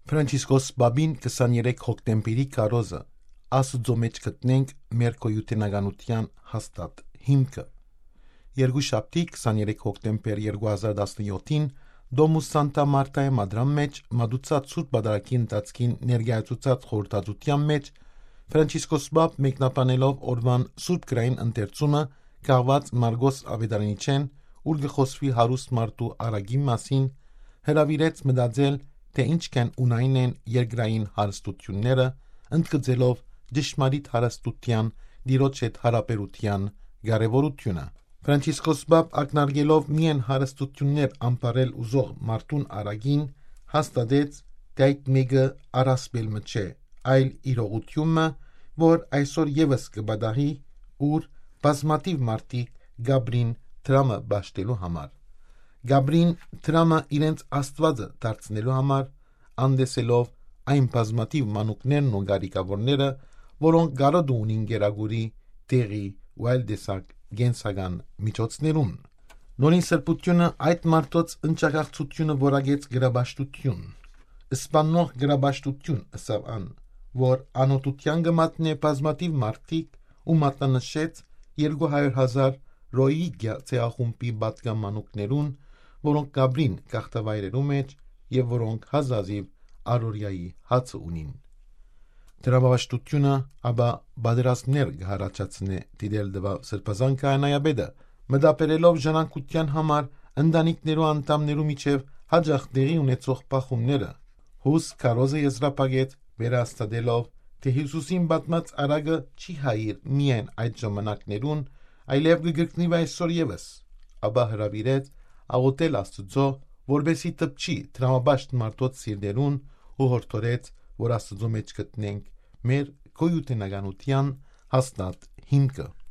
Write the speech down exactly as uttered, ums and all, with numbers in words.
Ֆրանցիսկոս Պապին քսաներեք հոկտեմբերի քարոզը. «Աստուծոյ մէջ գտնենք մեր գոյութենականութեան հաստատ հիմքը»։ Երկուշաբթի, քսաներեք հոկտեմբեր երկու հազար տասնեթին, Դոմուս Սանտա Մարտայ մադրան մէջ մատուցած Սուրբ Պատարագի ընթացքին ներկայացուցած խորհրդածութեան մէջ Ֆրանցիսկոս Պապ, մեկնաբանելով օրուան Սուրբ Գրային ընթերցումը, կախուած Մարգոս Աւետարանիչէն, ուր կը խօսուի հարուստ մարդու արագին մասին, հրաւիրեց մտածել, թէ ինչքան ունային են երկրային հարստութիւնները, ընդգծելով ճշմարիտ հարստութեան, Տիրոջ հետ յարաբերութեան կարեւորութիւնը։ Ֆրանցիսկոս Պապ, ակնարկելով միայն հարստութիւններ ամբարել ուզող մարդուն արագին, հաստատեց, թէ այդ մէկը առասպել մը չէ, այլ իրողութիւն մը, որ այսօր եւս կը պատահի, ուր բազմաթիւ մարդիկ կ'ապրին դրամը պաշտելու համար։ Կ'ապրին դրամը իրենց Աստուածը դարձնելու համար, անտեսելով այն բազմաթիւ մանուկներն ու կարիքաւորները, որոնք կարօտը ունին կերակուրի, դեղի ու այլ տեսակ կենսական միջոցներուն։ Նորին Սրբութիւնը այդ մարդոց ընչագաղթութիւնը որակեց գրապաշտութիւն։ «Սպաննող գրապաշտութիւն», ըսաւ ան, որ անօթութեան կը մատնէ բազմաթիւ մարդիկ ու մատնանշեց երկու հարիւր հազար Ռոհինկիա ցեղախումբի պատկան մանուկներուն, որոնք կ'ապրին գաղթավայրերու մէջ եւ որոնք հազազիւ առօրեայի հացը ունին։ Դրամապաշտութիւնը, ապա, պատերազմներ կը յառաջացնէ, դիտել տուաւ Սրբազան Քահանայապետը, մտաբերելով ժառանգութեան համար ընտանիքներու անդամներու միջեւ յաճախ տեղի ունեցող բախումները։ Հուս քարոզը եզրափակեց, վերահաստատելով, թէ Յիսուսին պատմած արագը չի հայիր միայն այդ ժամանակներուն, այլեւ կը կրկնի այսօր եւս, ապա հրաւիրեց աղօթել Աստուծոյ, որպէսզի դպչի դրամապաշտ մարդոց սիրտերուն ու յորդորեց, որ Աստուծոյ մէջ գտնենք մեր գոյութենականութեան հաստատ հիմքը։